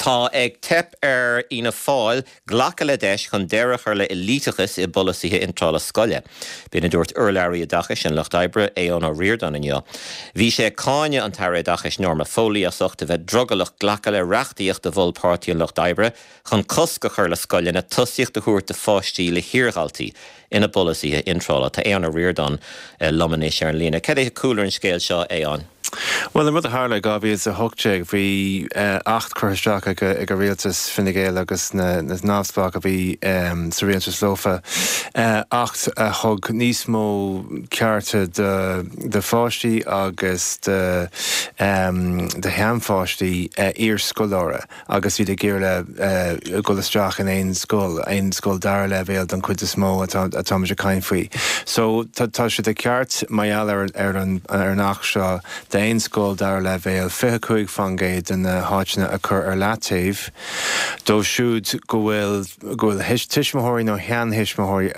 Tá ag teip ar Fhianna Fáil glacadh le deis chun deireadh a chur le éliteachas i bpolasaithe iontrála scoile. B'in a dúirt urlabhraí oideachais an Lucht Oibre, Aodhán Ó Ríordáin inniu. Bhí sé ag cáineadh an tAire Oideachais Norma Foley as ucht a bheith drogallach glacadh le reachtaíocht a mhol Páirtí an Lucht Oibre chun cosc a chur le scoileanna tosaíocht a thabhairt do pháistí le hiardhaltaí ina bpolasaithe iontrála. Tá Aodhán Ó Ríordáin liom anois ar an líne. Cad é cúlra an scéil seo, a Aodháin? Bhuel, an rud a tharla i 2018, bhí acht curtha isteach ag an rialtas, Fine Gael agus na neamhspleách a bhí sa rialtas leofa, acht a thug níos mó cearta do pháistí agus do sheanpháistí iarscoláire. agus iad ag iarraidh dhul isteach in aon scoil, aon scoil dara leibhéal don chuid is mó atáimid ag caint faoi. So tá sé de cheart mar gheall ar ar an ar an Acht seo d'aon scoil dara leibhéal 25% de na háiteanna a chur ar leataobh dóibh siúd go bhfuil go bhfuil tuismitheoirí nó sheanthuismitheoirí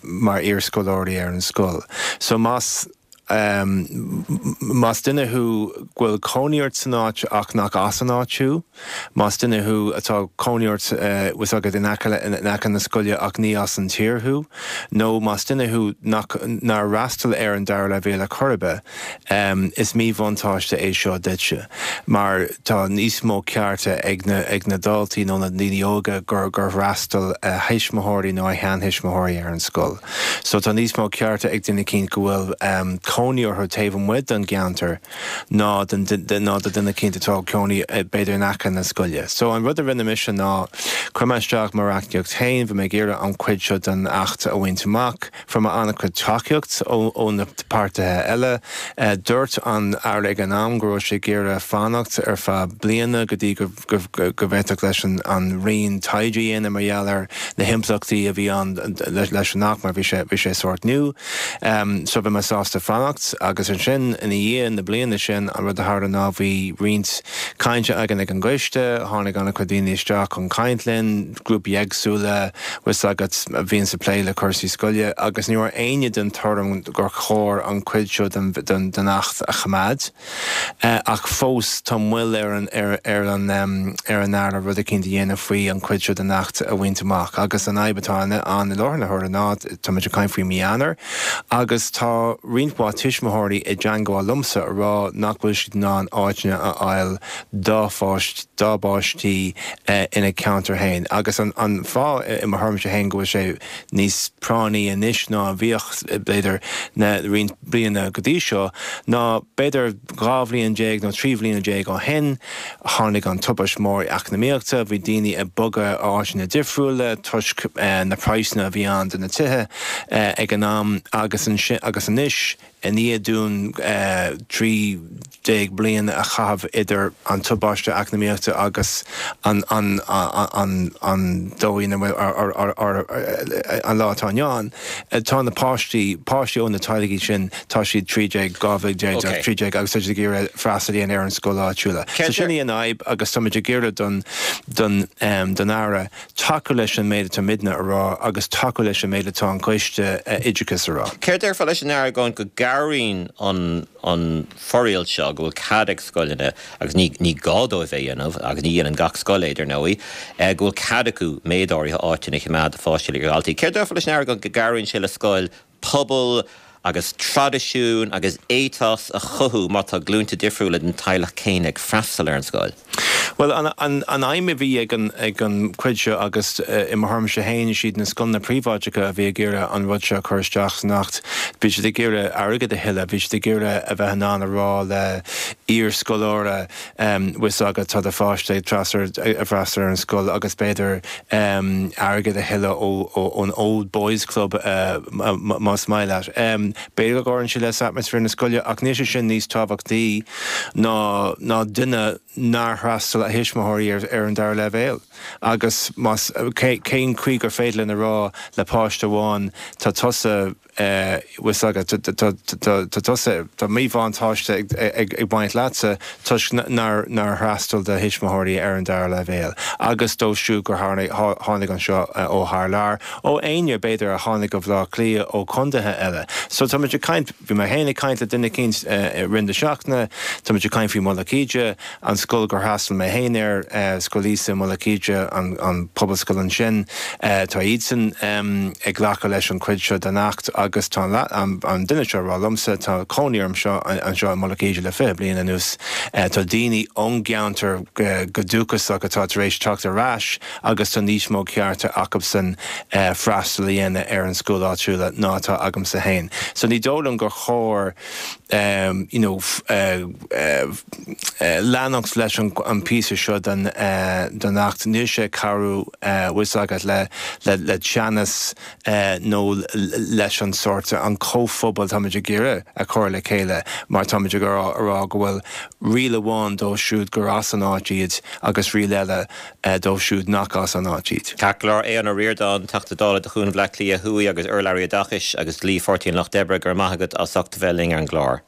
mar iarscoláirí ar an scoil. So más Más duine thú go bhfuil cónaí ort san áit ach nach as an áit thú, más duine thú atá cónaí ort bhfuil 's agat in aice in aice na scoile ach ní as an tír thú, nó más duine thú nach nár fhreastail ar an dara leibhéal ar chor ar bith, is míbhuntáiste é seo duitse mar tá níos mó cearta ag na ag na daltaí nó na daoine óga gur gur fhreastail a thuismitheoirí nó a sheanthuismitheoirí ar an scoil. So tá níos mó cearta ag duine eicínt go bhfuil cónaí orthu taobh amuigh den gceantar ná ná do duine eicínt atá ag cónaí b'fhéidir in aice na scoile. So an rud a rinne mise ná chuir mé isteach mo reachtaíocht féin, bhí mé ag iarraidh an chuid seo den Acht a bhaint amach. Fuair mé an-chuid tacaíocht ó ó na páirtithe eile. Dúirt an Aire ag an am go raibh sé ag iarraidh fanacht ar feadh bliana go dtí go go bhféadfadh leis an Roinn taighde a dhéanamh mar gheall ar na himpleachtaí a bhí ann leis an Acht mar bhí sé bhí sé sórt nua. So bhí mé sásta fanacht agus ansin ina dhiaidh na bliana sin an rud a tharla ná bhí roinnt cainte againn ag an gcoiste, tháinig an-chuid daoine isteach chun caint linn, grúpaí éagsúla, bhfuil 's agat, a bhíonns ag plé le cúrsaí scoile agus ní raibh éinne den tuairim gur chóir an chuid seo den Acht a choimeád. Ach fós tá moill ar an ar an ar an Aire rud eicínt a dhéanamh faoi an chuid seo den Acht a bhaint amach. Agus an fhadhb atá ann i láthair na huaire ná táimid ag caint faoi mí Eanáir agus tá roinnt mhaith tuismitheoirí i dteangmháil liomsa a rá nach bhfuil siad in ann áiteanna a fháil dá pháist dá bpáistí ina gceantar féin. Agus an an fáth i mo thuairimse féin go bhfuil sé níos práinní anois ná a bhíodh b'fhéidir na roinnt bliana go dtí seo ná b'fhéidir 12 bhliain nó 13 bhliana ó shin. Tháinig an tubaist mhór eacnamaíochta, bhí daoine ag bogadh áiteanna difriúla toisc na praghsanna a bhí ann do na tithe ag an am agus agus anois i ndiaidh dúinn 13 bliana a chaitheamh idir an tubaiste eacnamaíochta agus an an an an dóigh ina bhfuil an lá atá inniu ann. Tá na páistí, páistí ó na teaghlaigh sin, tá siad 13, 12 bhliain, 13 agus tá siad ag iarraidh freastal a dhéanamh ar an scoil áitiúla. So sin í an fhadhb agus táimid ag iarraidh don, don, don Aire tacú leis an méid atá muidne a rá agus tacú leis an méid atá an Coiste Oideachais a rá. Céard a déarfá leis an Aire go gcabhraíonn an, an fhoraíl seo go bhfuil cead ag scoileanna, agus ní ní gá dóibh é a dhéanamh, agus ní dhéanann gach scoil é, dar ndóigh, go bhfuil cead acu méid áirithe áiteanna a choimeád do pháistí le iardhaltaí. Céard a déarfá leis an Aire go gcabhraíonn sé le scoil pobal agus traidisiún agus éiteas a chothú má tá glúnta difriúla den teaghlach céanna ag freastal ar an scoil? Bhuel, an aidhm a bhí ag an ag an chuid seo agus i mo thuairimse féin, is iad na scoileanna príobháideacha a bhí ag iarraidh an rud seo a chur isteach san Acht. Bhí siad ag iarraidh airgead a thuilleadh, bhí siad ag iarraidh a bheith in ann a rá le iar-scoláire, bhfuil 's agat, tá do pháiste ag freastal ar an scoil agus b'fhéidir airgead a thuilleadh ón Old Boys Club más maith leat. B'fhéidir go gcuireann sé le atmaisféar na scoile ach níl sé sin níos tábhachtaí ná ná duine nár fhreastail a thuismitheoirí ar ar an dara leibhéal. Agus más cén chaoi gur féidir linn a rá le páiste amháin tá tusa. Bhfuil 's agat, tá tusa, tá míbhuntáiste ag baint leatsa toisc nár fhreastail do thuismitheoirí ar an dara leibhéal agus dóibh siúd gur tháinig anseo ó thar lear, ó éinne b'fhéidir a tháinig go Bhleá Cliath ó chondaetha eile. So tá muid ag caint, bhí mé féin ag caint le duine eicínt i rith na seachtaine, tá muid ag caint faoi Mullach Íde, An scoil gur fhreastail mé féin air, Scoil Íosa i Mullach Íde, an pobalscoil ansin, tá iadsan ag glacadh leis an chuid seo den Acht agus tá an duine seo ag rá liomsa, tá cónaí orm seo anseo i Mullach Íde le 20 bliain anuas, tá daoine ón gceantar go dúchasach atá tar éis teacht ar ais agus tá níos mó cearta acubsan freastal a dhéanamh ar an scoil áitiúla ná atá agamsa féin. So ní dóigh liom gur chóir you know leanacht leis an píosa seo den Acht. Níl sé ag cabhrú, bhfuil 's agat, le teannas nó leis an sórt, an comhphobal táimid ag iarraidh a chur le chéile mar táimid ag rá go bhfuil riail amháin dóibh siúd gur as an áit iad agus riail eile dóibh siúd nach as an áit iad. Ceart go leor, Aodhán Ó Ríordáin, Teachta Dála do Chuan Bhaile Átha Cliath Thuaidh agus urlabhraí Oideachais agus Dlí Pháirtí an Lucht Oibre, go raibh maith agat as ucht a bheith linn ar an gclár.